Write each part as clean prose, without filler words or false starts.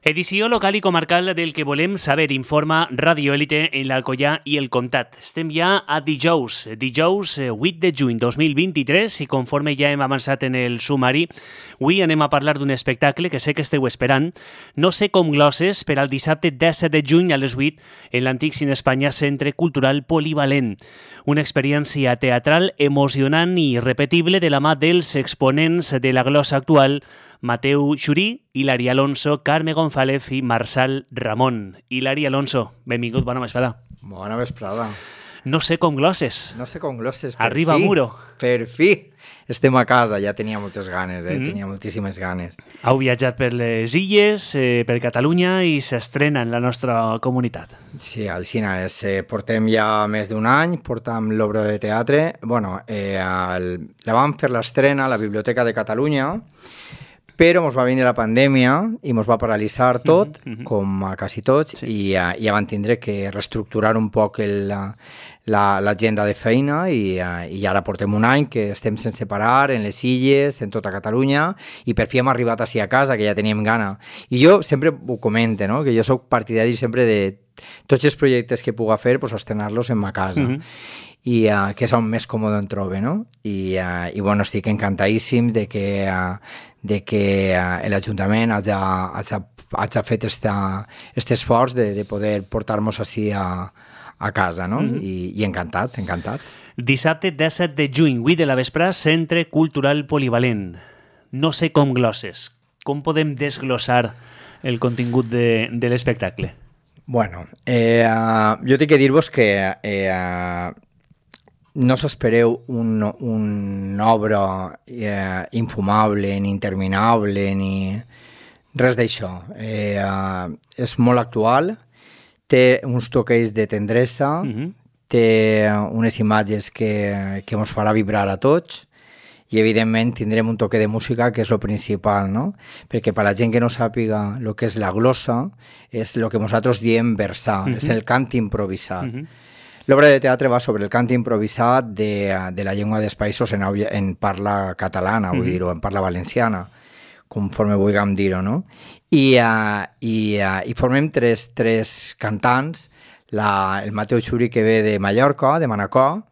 Edició local i comarcal del que volem saber, informa Radio Élite en l'Alcoià i el Comtat. Estem ja a dijous 8 de juny 2023 i conforme ja hem avançat en el sumari, avui anem a parlar d'un espectacle que sé que esteu esperant. No sé com glosses per al dissabte 17 de juny a les 8 en l'antic Cine Espanya Centre Cultural Polivalent. Una experiència teatral emocionant i irrepetible de la mà dels exponents de la glossa actual, Mateu Xurí, Hilari Alonso, Carme González i Marçal Ramon. Hilari Alonso, benvingut, bona vesprada. Bona vesprada. No sé com glosses. No sé com glosses, Arriba a Muro. Per fi. Estem a casa, ja tenia moltes ganes, tenia moltíssimes ganes. Heu viatjat per les illes, per Catalunya i s'estrena en la nostra comunitat. Sí, al cine. Portem ja més d'un any, portem l'obra de teatre. Bueno, la vam fer l'estrena a la Biblioteca de Catalunya, però ens va venir la pandèmia i ens va paralitzar tot, com a quasi tots, i ja van tindre que reestructurar un poc l'agenda de feina i ara portem un any que estem sense parar en les illes, en tota Catalunya, i per fi hem arribat així a casa, que ja teníem gana. I jo sempre ho comento, no? Que jo soc partidari sempre de tots els projectes que puga fer, pues, estrenar-los en ma casa. I que és on més còmode em trobo, no? I bueno, estic encantadíssim de que l'Ajuntament hagi fet aquest esforç de poder portar-nos així a casa, no? I encantat. Dissabte 17 de juny, 8 de la vespre, Centre Cultural Polivalent. No sé com glosses. Com podem desglossar el contingut de l'espectacle? Bueno, jo tinc que dir-vos que no s'espereu una obra infumable, ni interminable, ni res d'això. És molt actual, té uns toquets de tendresa, té unes imatges que ens farà vibrar a tots i, evidentment, tindrem un toque de música, que és el principal, no? Perquè per a la gent que no sàpiga el que és la glossa, és el que nosaltres diem versar, és el cant improvisat. L'obra de teatre va sobre el cant improvisat de la llengua dels països en parla catalana, vull dir-ho, en parla valenciana, conforme vulguem dir-ho, no? I formem tres cantants, el Mateu Xurí, que ve de Mallorca, de Manacor,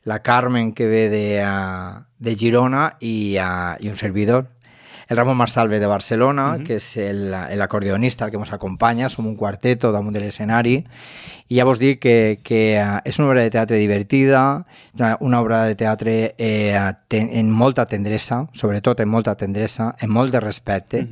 la Carmen, que ve de Girona, i un servidor. El Ramon Marçal ve de Barcelona, que és l'acordeonista, el que ens acompanya, som un quarteto damunt de l'escenari, i ja vos dic que és una obra de teatre divertida, una obra de teatre en molta tendresa, sobretot en molta tendresa, en molt de respecte,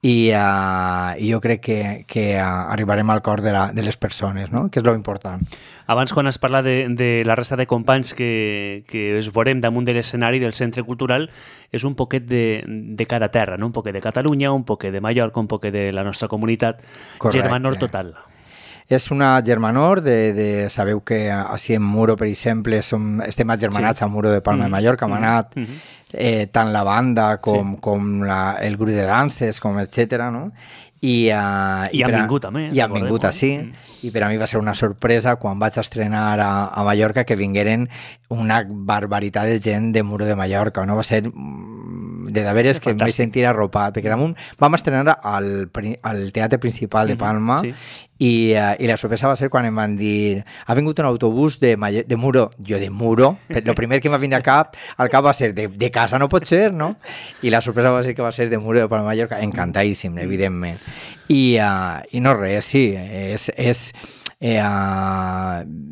i jo crec que arribarem al cor de les persones, no? Que és lo important. Abans, quan es parla de la resta de companys que es veurem damunt de l'escenari del Centre Cultural, és un poquet de cada terra, no? Un poquet de Catalunya, un poquet de Mallorca, un poquet de la nostra comunitat. Correcte. Germanor total. És una germanor sabeu que així en Muro, per exemple, estem agermanats a Muro de Palma de Mallorca, hem anat tant la banda com el grup de danses, com etcètera, no? I han vingut també. I han vingut així, i per a mi va ser una sorpresa quan vaig estrenar a Mallorca que vingueren una barbaritat de gent de Muro de Mallorca, no? Va ser de veres que em vaig sentir arropat, perquè damunt vam estrenar al Teatre Principal de Palma, i la sorpresa va ser quan em van dir ha vingut un autobús de Muro. Jo, de Muro? El primer que m'ha vingut al cap va ser de casa, no pot ser, no? I la sorpresa va ser que va ser de Muro de Palma de Mallorca, encantadíssim, evidentment. I no res, sí,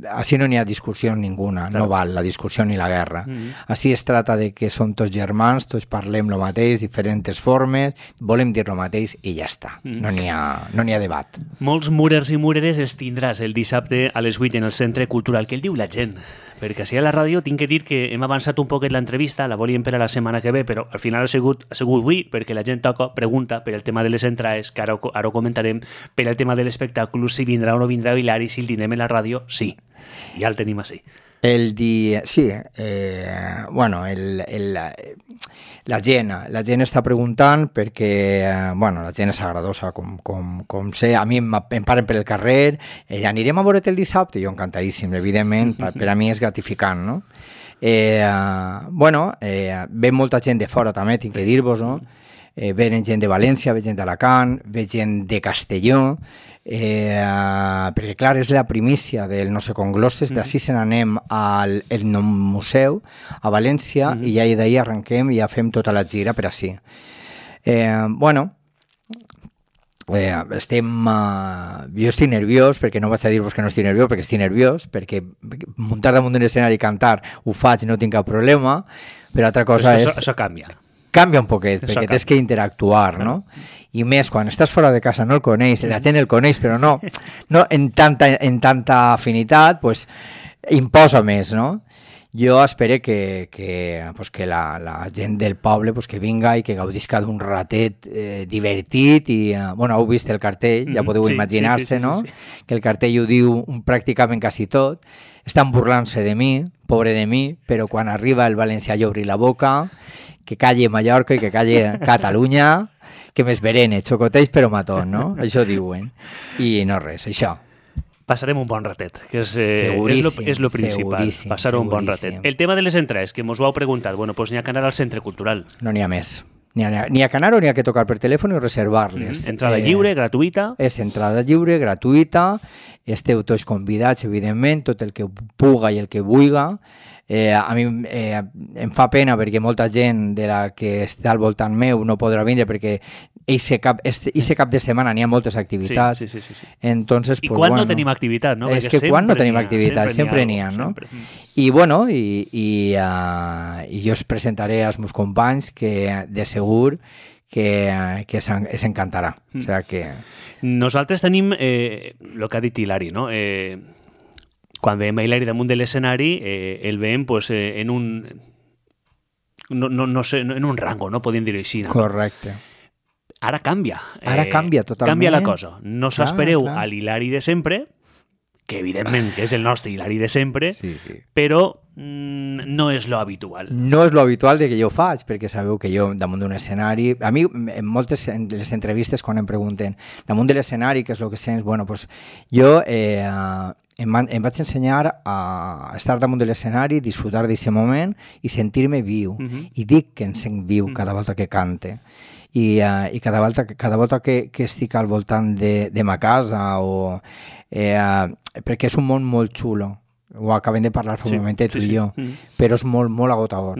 així no n'hi ha discussió ninguna, no val la discussió ni la guerra. Així es tracta de que som tots germans, tots parlem el mateix, diferents formes, volem dir el mateix i ja està, no n'hi ha debat. Molts murers i mureres els tindràs el dissabte a les 8 en el Centre Cultural. Què el diu la gent? Perquè així a la ràdio tinc que dir que hem avançat un poquet l'entrevista, la volíem per a la setmana que ve, però al final ha sigut avui, perquè la gent pregunta per el tema de les entrades, que ara ho comentarem, per el tema de l'espectacle, si vindrà o no vindrà Hilari, si el tindrem en la ràdio, sí, ja el tenim així. Sí, bueno, la gent està preguntant perquè, bueno, la gent és agradosa, com sé, a mi em paren per el carrer, anirem a veure't el dissabte, jo encantadíssim, evidentment, per a mi és gratificant, no? Bueno, ve molta gent de fora també, tinc que dir-vos, no? venen gent de València, ve gent d'Alacant, ve gent de Castelló, perquè clar, és la primícia del No sé con glosses, d'ací se n'anem al Etnomuseu a València i ja d'ahir arrenquem i ja fem tota la gira per ací. Jo estic nerviós, perquè no vaig a dir-vos que no estic nerviós, perquè estic nerviós, perquè muntar damunt d'un escenari i cantar ho faig, no tinc cap problema, però altra cosa és... Això canvia. Canvia un poquet, perquè tens que interactuar, no? I més, quan estàs fora de casa no el coneix, la gent el coneix, però no en tanta afinitat, pues, imposa més, no? Jo espero que la gent del poble pues, que vinga i que gaudisca d'un ratet divertit i, heu vist el cartell, ja podeu imaginar-se, no? Que el cartell ho diu pràcticament quasi tot. Estan burlant-se de mi, pobre de mi, però quan arriba el valencià i obri la boca, que calli Mallorca i que calli Catalunya, que m'esberene, xocoteix però matón, no? Això diuen. I no res, això. Passarem un bon ratet, que és lo principal, passar un bon ratet. El tema de les entrades, que mos ho heu preguntat, doncs n'hi ha que anar al centre cultural. No n'hi ha més. N'hi ha que anar o n'hi ha que tocar per telèfon i reservar-les. Entrada lliure, gratuïta. És entrada lliure, gratuïta. Esteu tots convidats, evidentment, tot el que puga i el que vulga. A mi em fa pena perquè molta gent de la que està al voltant meu no podrà vindre perquè aquest cap de setmana n'hi ha moltes activitats. Sí. Entonces, I quan no tenim activitat, no? És que quan no tenim activitat, sempre n'hi ha, no? I jo us presentaré als meus companys que de segur que s'encantarà. O sigui que... Nosaltres tenim el que ha dit Hilari, no? Quan veiem a Hilari damunt de l'escenari, el veiem pues, en un... No sé, en un rango, no? Podríem dir-ho així. No? Correcte. Ara canvia. Ara canvia totalment. Canvia la cosa. No s'espereu a l'Hilari de sempre, que evidentment que és el nostre Hilari de sempre, però no és lo habitual. No és lo habitual de que jo faig, perquè sabeu que jo damunt d'un escenari... A mi, en moltes de les entrevistes, quan em pregunten damunt de l'escenari, què és el que sents? Bueno, pues, jo em vaig ensenyar a estar damunt de l'escenari, disfrutar d'aquest moment i sentir-me viu. I dic que em sent viu cada volta que cante. I cada volta que estic al voltant de ma casa perquè és un món molt xulo, ho acabem de parlar fa un momentet tu i jo, però és molt, molt agotador.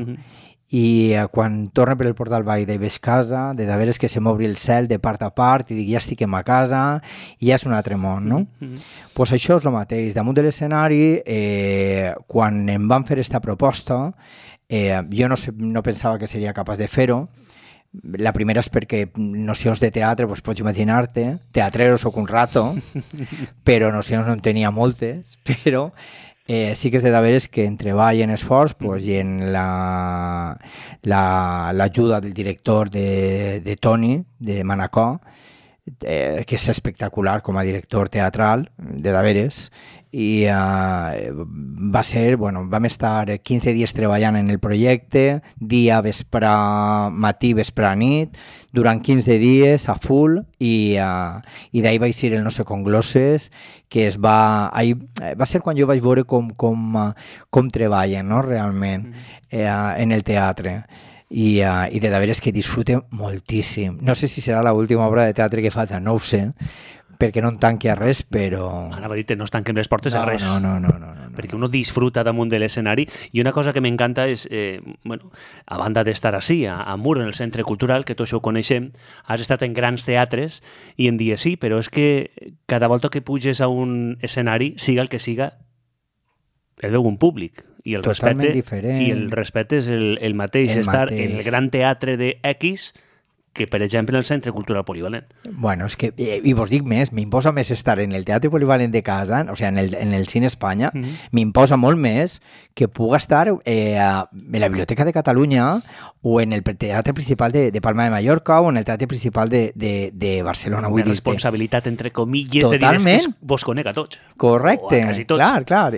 I quan torno per el portal Baida i veig casa, de veres que se m'obri el cel de part a part i dic ja estic en ma casa i ja és un altre món, no? Pues això és el mateix. Damunt de l'escenari, quan em van fer aquesta proposta, jo no pensava que seria capaç de fer-ho. La primera és perquè nocions de teatre, doncs pots imaginar-te, teatrero soc un rato, però nocions no en tenia moltes, però sí que és de veres que en treball i en esforç i en l'ajuda del director de Toni, de Manacor, que és espectacular com a director teatral, de veres, i va ser, vam estar 15 dies treballant en el projecte, dia, vespre, matí, vespre, nit, durant 15 dies a full, i d'ahir vaig ser el No sé con glosses, que va ser quan jo vaig veure com treballen, no, realment, en el teatre. I de veres que disfrute moltíssim. No sé si serà l'última obra de teatre que faig, no ho sé, perquè no en tanqui a res, però... Anava a dir-te, no es tanquen les portes a res. No. Perquè uno disfruta damunt de l'escenari, i una cosa que m'encanta és, a banda d'estar així, a Mur, en el Centre Cultural, que tots ho coneixem, has estat en grans teatres, i en dies sí, però és que cada volta que puges a un escenari, siga el que siga, el veu un públic. I el respecte és el mateix. Estar en el gran teatre de X que, per exemple, en el Centre Cultural Polivalent. Bueno, és que, i vos dic més, m'imposa més estar en el Teatre Polivalent de casa, o sigui, en el Cine Espanya, m'imposa molt més que puga estar en la Biblioteca de Catalunya o en el Teatre Principal de Palma de Mallorca o en el Teatre Principal de Barcelona. Una responsabilitat, entre comilles, de dir que vos conec a tots. Correcte, o a quasi tots. Clar.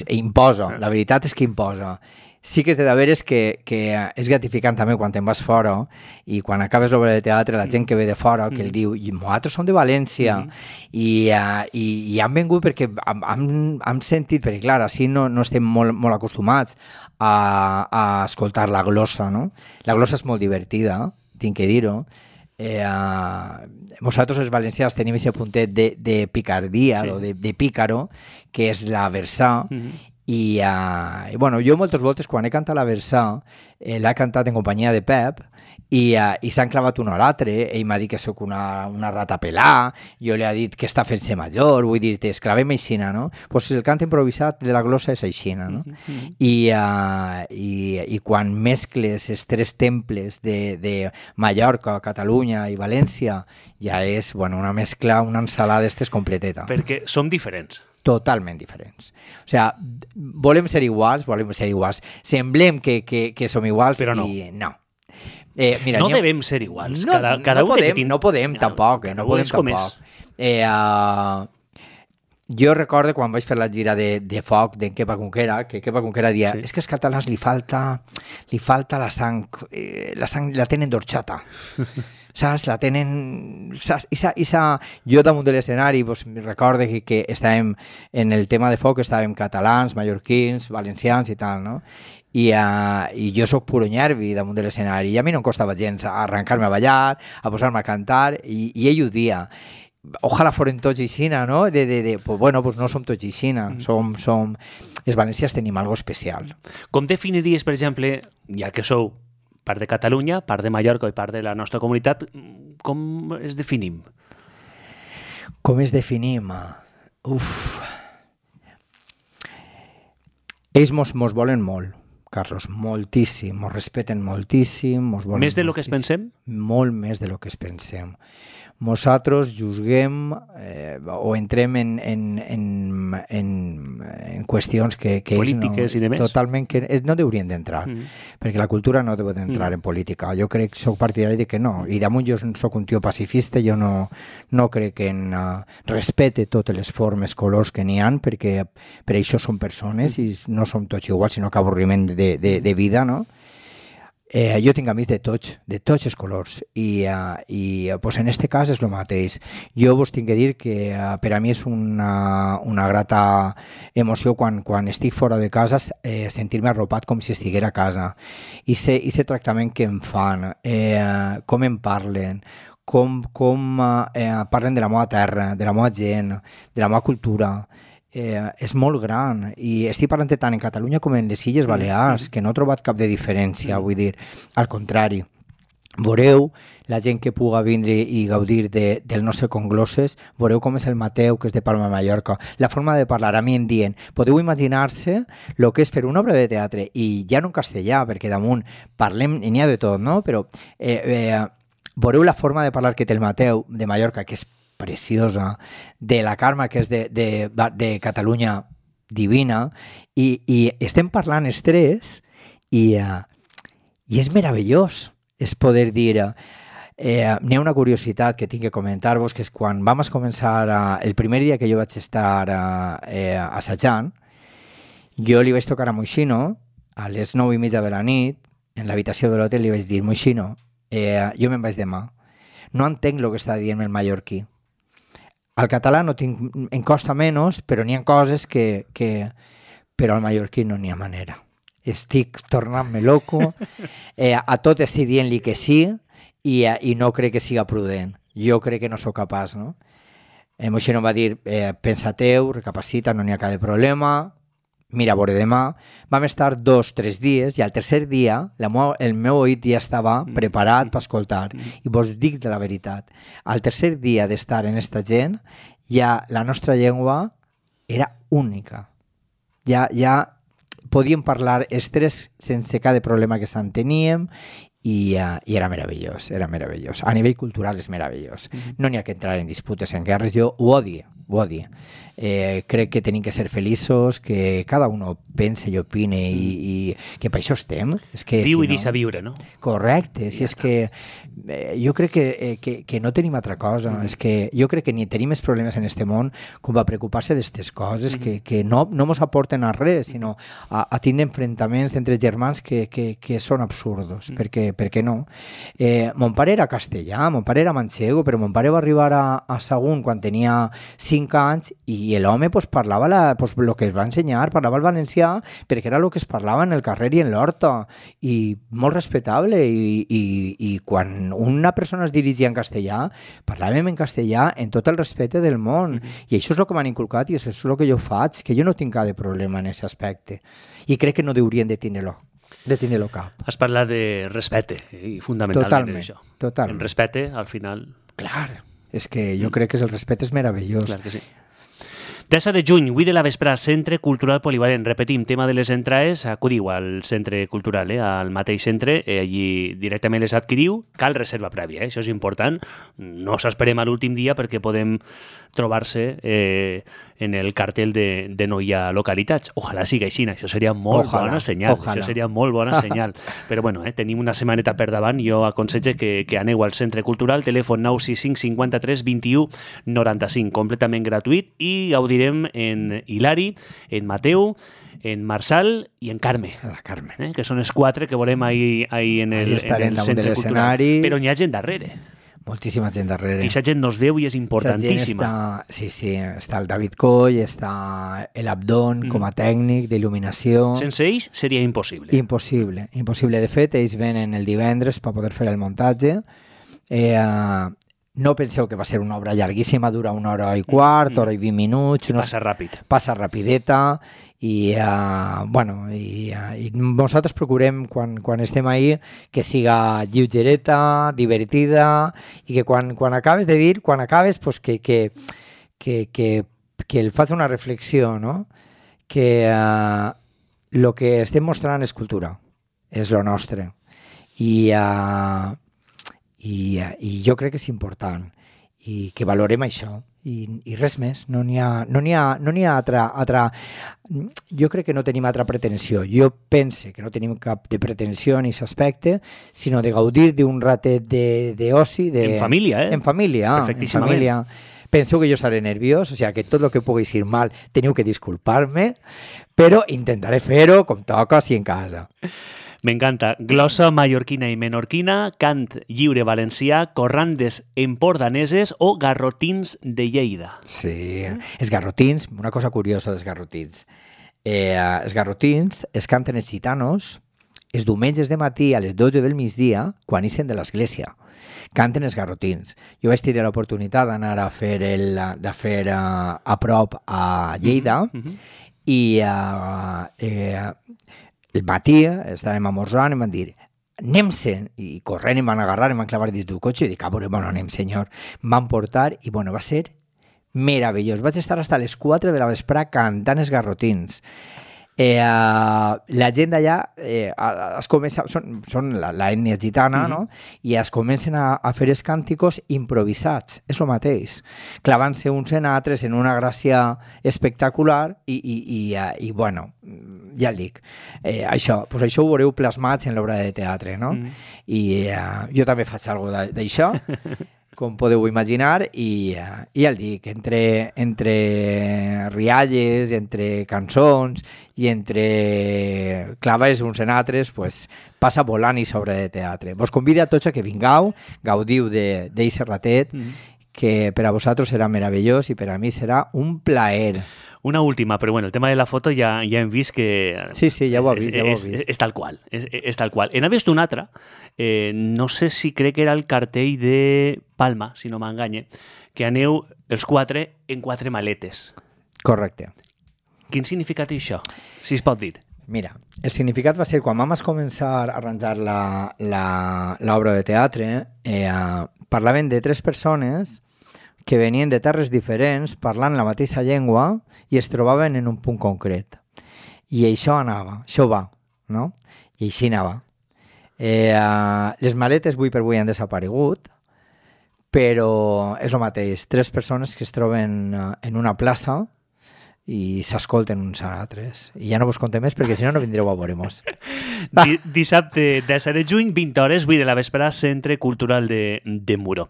Imposa, la veritat és que imposa. Sí que és de veres que és gratificant també quan te'n vas fora i quan acabes l'obra de teatre, la gent que ve de fora, que el diu, nosaltres som de València, i han vengut perquè han sentit, perquè clar, així no estem molt acostumats a escoltar la glossa, no? La glossa és molt divertida, tinc que dir-ho. Nosaltres els valencians tenim aquest puntet de picardia, o de pícaro, que és la versà, i bueno, jo moltes voltes quan he cantat la versà l'he cantat en companyia de Pep i s'han clavat un a l'altre. Ell m'ha dit que sóc una rata pelà, jo li he dit que està fent-se major, vull dir, esclavem aixina, no? Pues el cant improvisat de la glossa és aixina, no? I quan mescles els tres temples de Mallorca, Catalunya i València, ja és, bueno, una mescla, una ensalada d'estes completeta. Perquè som diferents. Totalment diferents. O sigui, volem ser iguals. Semblem que som iguals, però no. I no. Mira, no devem ser iguals. No podem tampoc. Jo recordo quan vaig fer la gira de foc d'en Kepa Conquera, que Kepa Conquera dia, és que als catalans li falta la sang la tenen d'orxata. Saps? La tenen... Saps? Jo damunt de l'escenari recordo que estàvem en el tema de foc, estàvem catalans, mallorquins, valencians i tal, no? I jo soc puro nervi damunt de l'escenari i a mi no em costava gens arrencar-me a ballar, a posar-me a cantar i ell ho dia. Ojalà foren tots aixina, no? Pues bueno, pues no som tots aixina, som... Els valencians tenim algo especial. Com definiries, per exemple, ja que sou part de Catalunya, part de Mallorca i part de la nostra comunitat, com es definim? Com es definim? Ells mos volen molt, Carlos, moltíssim, mos respeten moltíssim. Més de lo que es pensem? Molt més de lo que es pensem. Nosaltres juzguem o entrem en qüestions que polítiques ells i demés. Totalment que no deurien d'entrar, perquè la cultura no deu d'entrar en política. Jo crec, soc partidari de que no, i damunt jo soc un tio pacifista, jo no crec que respecte totes les formes, colors que n'hi ha, perquè per això som persones i no som tots iguals, sinó que avorriment de vida, no? Jo tinc amics de tots els colors i pues en este cas és el mateix. Jo vos tinc que dir que per a mi és una grata emoció quan estic fora de casa sentir-me arropat com si estiguera a casa i ser tractament que em fan, com em parlen, com parlen de la meva terra, de la meva gent, de la meva cultura. És molt gran i estic parlant tant en Catalunya com en les Illes Balears, que no he trobat cap de diferència, vull dir, al contrari. Veureu la gent que puga vindre i gaudir del nostre Congloses, veureu com és el Mateu, que és de Palma de Mallorca, la forma de parlar, a mi em dient, podeu imaginar-se el que és fer una obra de teatre, i ja no en castellà, perquè damunt parlem, i n'hi ha de tot, no? Però veureu la forma de parlar que té el Mateu de Mallorca, que és preciosa, de la Carme, que és de Catalunya, divina, i estem parlant els tres i és meravellós, és poder dir... N'hi ha una curiositat que tinc que comentar-vos, que és quan vam començar, el primer dia que jo vaig estar assajant, jo li vaig tocar a Moixino a les 9:30 de la nit, en l'habitació de l'hotel, li vaig dir, Moixino, jo me'n vaig demà, no entenc el que està dient el mallorquí. Al català no em costa menys, però n'hi ha coses que però al mallorquí no n'hi ha manera. Estic tornant-me loco, a tot estic dient-li que sí i no crec que siga prudent. Jo crec que no sóc capaç, no? Moixino em va dir, pensa-teu, recapacita, no n'hi ha cap de problema, mira, a veure demà. Vam estar 2-3 dies i al tercer dia el meu oït ja estava preparat per escoltar. I vos dic de la veritat, al tercer dia d'estar en esta gent, ja la nostra llengua era única. Ja podíem parlar els tres sense cada problema que s'enteníem i era meravellós, era meravellós. A nivell cultural és meravellós. No n'hi ha que entrar en disputes, en guerres, jo ho odio. Crec que tenim que ser feliços, que cada uno pense i opine i que per això estem. Viu i deixa viure, no? Correcte, si és que jo crec que no tenim altra cosa, és que jo crec que ni tenim més problemes en este món com a preocupar-se d'aquestes coses que no mos aporten a res, sinó a tindre enfrontaments entre germans que són absurdos, perquè no? Mon pare era castellà, mon pare era manxego, però mon pare va arribar a Sagunt quan tenia 5 5 anys i l'home pues, parlava el que es va ensenyar, parlava el valencià perquè era el que es parlava en el carrer i en l'horta i molt respectable i quan una persona es dirigia en castellà parlàvem en castellà en tot el respecte del món i això és el que m'han inculcat i això és el que jo faig, que jo no tinc cap de problema en aquest aspecte i crec que no haurien de tenir-lo cap. Has parlat de respecte i fundamentalment això. Totalment. En respecte, al final... Clar, és que jo crec que el respecte és meravellós. Clar que sí. 10 de juny, 8 de la vesprà, Centre Cultural Polivalent. Repetim, tema de les entrades, acudiu al centre cultural, al mateix centre, allí directament les adquiriu, cal reserva prèvia, això és important, no s'esperem a l'últim dia perquè podem trobar-se en el cartell de no hi ha localitats. Ojalà sigui així, això seria molt bona senyal. Això seria molt bona senyal. Però bueno, tenim una setmaneta per davant, jo aconsege que aneu al centre cultural, telèfon 965 53 21 95, completament gratuït, i gaudirem en Hilari, en Mateu, en Marçal i en Carme. La Carme. Que són els 4 que volem ahir en el centre cultural. Però n'hi ha gent darrere. Moltíssima gent darrere. I aquesta gent nos veu i és importantíssima. Sí, està el David Coll, està l'Abdon com a tècnic d'il·luminació. Sense ells seria impossible. Impossible. De fet, ells venen el divendres per poder fer el muntatge. No penseu que va ser una obra llarguíssima, dura 1 hora i quart, hora i 20 minuts. Passa ràpid. Passa rapideta. I nosaltres procurem quan estem ahí que siga lleugereta, divertida i que quan acabes pues que el fas una reflexió, no? Que lo que estem mostrant és cultura, és lo nostre i jo crec que és important i que valorem això. I res més, no n'hi ha altra... Jo crec que no tenim altra pretensió. Jo pense que no tenim cap de pretensió en aquest aspecte, sinó de gaudir d'un ratet d'oci... En família, En família. Penseu que jo seré nerviós, o sigui que tot el que pugui ser mal teniu que disculpar-me, però intentaré fer-ho com toca, si en casa. M'encanta. Glossa mallorquina i menorquina, cant lliure valencià, corrandes empordaneses o garrotins de Lleida. Sí, els garrotins, una cosa curiosa dels garrotins. Els garrotins es canten els gitanos els diumenges de matí a les 12 del migdia quan ixen de l'església. Canten els garrotins. Jo vaig tenir l'oportunitat d'anar a fer a prop a Lleida i el matí estàvem amorzant i em van dir anem-se'n, i corrent em van agarrar, em van clavar dins del cotxe i dic, bueno, anem senyor. Em van portar i va ser meravellós. Vaig estar fins a les 4 de la vesprà cantant els garrotins. La gent d'allà són l'ètnia gitana, no? I es comencen a fer els cànticos improvisats, és el mateix, clavant-se uns en altres en una gràcia espectacular i bueno, ja el dic, això ho veureu plasmats en l'obra de teatre, no? I jo també faig alguna cosa d'això, com podeu imaginar, i ja el dic, entre rialles, entre cançons i entre claves uns en altres, pues, passa volant i sobre de teatre. Vos convido a tots a que vingueu, gaudiu d'eixe ratet, que per a vosaltres serà meravellós i per a mi serà un plaer. Una última, però bueno, el tema de la foto ja hem vist que... Sí, ja ho he vist. És tal qual, és tal qual. N'ha vist un altre, no sé si crec que era el cartell de Palma, si no m'enganye, que aneu els 4 en 4 maletes. Correcte. Quin significat té això, si es pot dir? Mira, el significat va ser quan vam començar a arranjar l'obra de teatre, parlaven de 3 persones que venien de terres diferents, parlant la mateixa llengua i es trobaven en un punt concret. I això va, no? I així anava. Les maletes avui per avui han desaparegut, però és el mateix. 3 persones que es troben en una plaça i s'escolten uns a altres. I ja no vos contem més perquè si no vindreu a veure-mos. Dissabte 10 de juny, 20 hores, 8 de la vesprà, Centre Cultural de Muro.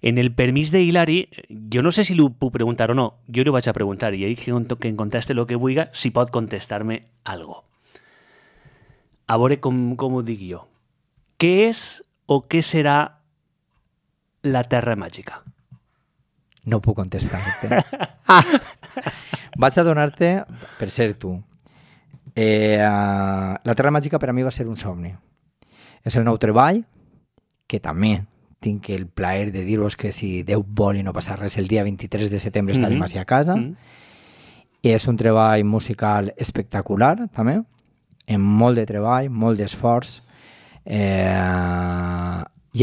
En el permís de Hilari, jo no sé si l'ho puc preguntar o no, jo li vaig a preguntar i ell que em conteste el que vulgui, si pot contestar-me algo. A veure com ho dic jo. Què és o què serà la Terra Màgica? No puc contestar-te. Vaig a donar-te, per ser tu, la Terra Màgica per a mi va ser un somni. És el nou treball, que també tinc el plaer de dir-vos que si Déu vol i no passa res, el dia 23 de setembre estarem així a casa. És un treball musical espectacular, també, amb molt de treball, molt d'esforç, i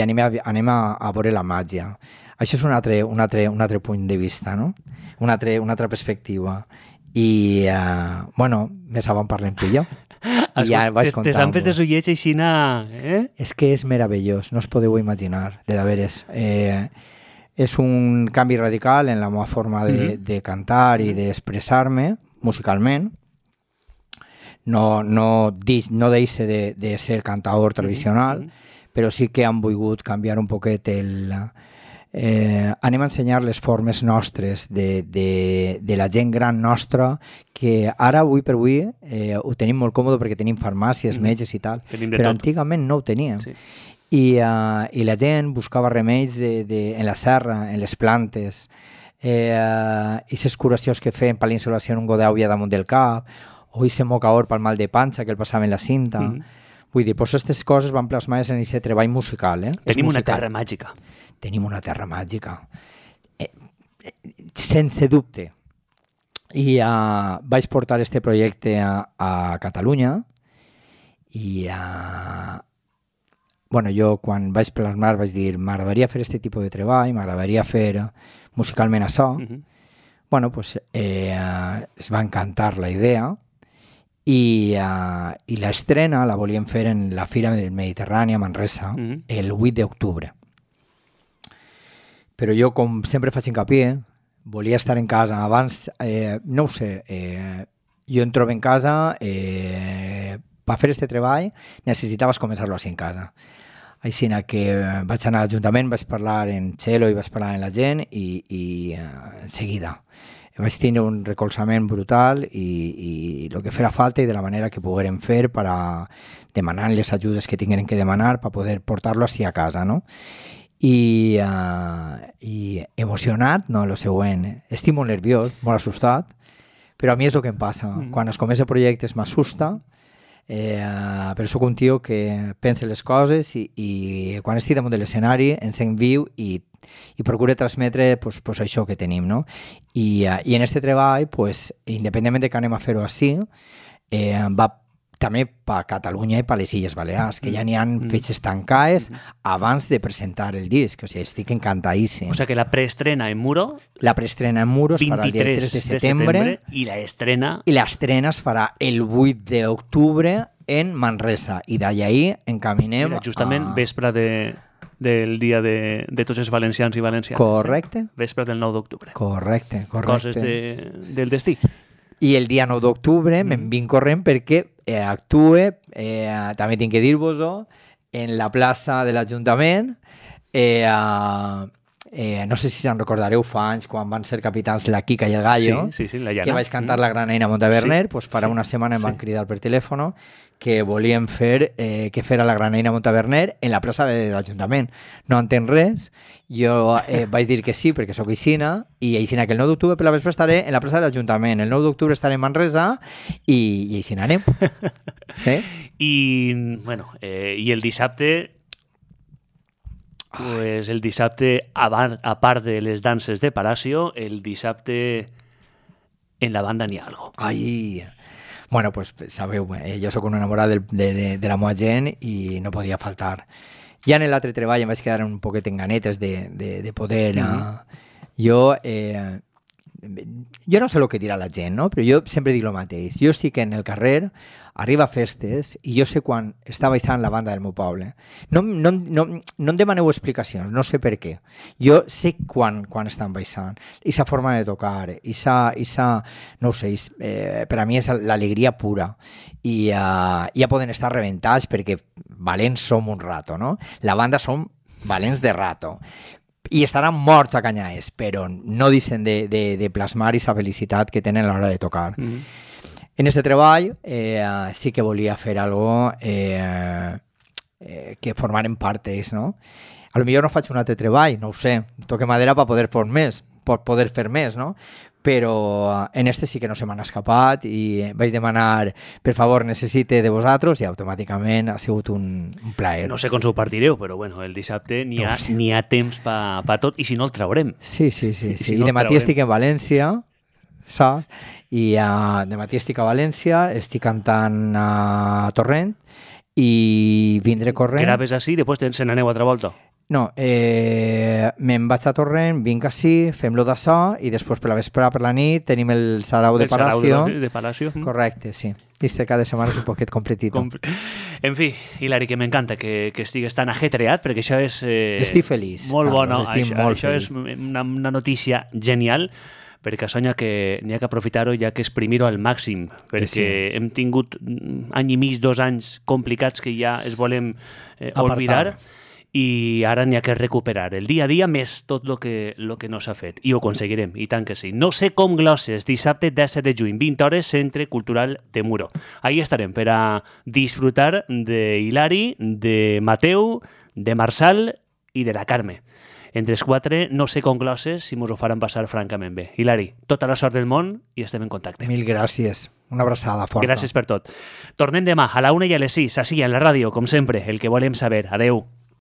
anem a veure la màgia. Això és un altre punt de vista, no? Una altra perspectiva. I, més avant parlem tu i jo. I ja vaig contar-vos. Te s'han fet els ullets aixina, És que és meravellós, no us podeu imaginar, de veres. És un canvi radical en la meva forma de cantar i d'expressar-me musicalment. No deixa de ser cantador tradicional, però sí que han volgut canviar un poquet anem a ensenyar les formes nostres de la gent gran nostra, que ara, avui per avui, ho tenim molt còmode perquè tenim farmàcies, metges i tal, però antigament no ho teníem. Sí. I la gent buscava remeis en la serra, en les plantes, i les curacions que feien per l'insolació en un godeu damunt del cap, o aquest mocaor pel mal de panxa que el passaven la cinta. Vull dir, doncs aquestes coses van plasmades en aquest treball musical. Tenim una terra màgica. Tenim una terra màgica, sense dubte. I vaig portar este projecte a Catalunya i jo quan vaig plasmar vaig dir m'agradaria fer aquest tipus de treball, m'agradaria fer musicalment això. Es va encantar la idea i l'estrena la volíem fer en la Fira Mediterrània a Manresa el 8 d'octubre. Però jo, com sempre faig hincapié, volia estar en casa abans, no ho sé, jo em trobo en casa, per fer aquest treball necessitaves començar-lo així en casa. Així que vaig anar a l'Ajuntament, vaig parlar en Txelo i vaig parlar amb la gent i en seguida vaig tenir un recolzament brutal i el que farà falta i de la manera que poguérem fer per a demanar les ajudes que tingueren que demanar per poder portar-lo així a casa, no? I emocionat, no, el següent. Estic molt nerviós, molt assustat, però a mi és el que em passa. Quan es comença projectes m'assusta, però sóc un tio que pensa les coses i quan estic damunt de l'escenari em sent viu i procuro transmetre això que tenim, no? I en aquest treball, independentment de que anem a fer-ho així, va també per Catalunya i per les Illes Balears, que ja n'hi ha fetges tancades abans de presentar el disc. O sigui, estic encantadíssim. O sigui que la preestrena en Muro... La preestrena en Muro es farà el dia 3 de setembre i l'estrena... I l'estrena es farà el 8 d'octubre en Manresa. I d'allà encaminem... Justament vespre del dia de tots els valencians i valencianes. Correcte. Vespre del 9 d'octubre. Correcte. Coses del destí. I el dia 9 d'octubre me'n vinc corrent perquè actue, també tinc que dir-vos-ho, en la plaça de l'Ajuntament. No sé si se'n recordareu fa anys quan van ser capitans la Quica i el Gallo, sí, la Llana, que vaig cantar la Granaina Montaverner, farà una setmana em van cridar per telèfon que volien fer la Granaina Montaverner en la plaça de l'Ajuntament. No entenc res, jo vaig dir que sí perquè sóc aixina, i aixina que el 9 d'octubre per la vespre estaré en la plaça de l'Ajuntament, el 9 d'octubre estaré en Manresa i aixina anem. I el dissabte, el dissabte, a part de les danses de Palacio, el dissabte en la banda n'hi ha algo. Ai... Bueno, sabeu, jo sóc un enamorat de la meva gent i no podia faltar. Ja en l'altre treball em vaig quedar un poquet en ganetes de poder... Jo no sé el que dirà la gent, no? Però jo sempre dic el mateix. Jo estic en el carrer, arriba a festes, i jo sé quan està baixant la banda del meu poble. No em demaneu explicacions, no sé per què. Jo sé quan estan baixant. Esa forma de tocar, no ho sé, per a mi és l'alegria pura. I ja poden estar rebentats perquè valents som un rato, no? La banda som valents de rato. I estaran morts a canyades, però no deixen de plasmar aquesta felicitat que tenen a l'hora de tocar. En aquest treball sí que volia fer algo que formaren part d'ells, no? A lo millor no faig un altre treball, no ho sé, toque madera per poder fer més, poder fer més, no? Però en este sí que no se m'han escapat i vaig demanar, per favor, necessite de vosaltres i automàticament ha sigut un plaer. No sé com s'ho partireu, però bueno, el dissabte n'hi ha temps pa tot i si no el traurem. Sí. I de matí estic en València, saps? I de matí estic a València, estic cantant a Torrent i vindré corrent. Graves així i després se n'aneu altra volta? No, me'n vaig a Torrent, vinc així, fem-lo d'açò i després per la vespre, per la nit, tenim el Sarau de Palacio. De Palacio. Correcte, sí. Este cada setmana és un poquet completito. En fi, Hilari, que m'encanta que estigues tan ajetreat, perquè això és... estic feliç. Molt Carlos, bona. Això és una notícia genial, perquè això n'hi ha que aprofitar-ho, hi ha que exprimir-ho al màxim, perquè hem tingut any i mig, 2 anys complicats que ja es volem oblidar, i ara n'hi ha que recuperar el dia a dia més tot el que no s'ha fet. I ho aconseguirem, i tant que sí. No sé com glosses, dissabte 17 de juny, 20 hores, Centre Cultural de Muro. Ahí estarem per a disfrutar de Hilari, de Mateu, de Marçal i de la Carme. Entre els 4, no sé com glosses si mos ho faran passar francament bé. Hilari, tota la sort del món i estem en contacte. Mil gràcies. Una abraçada forta. Gràcies per tot. Tornem demà a la 1 i a les 6, així, a la ràdio, com sempre, el que volem saber. Adeu.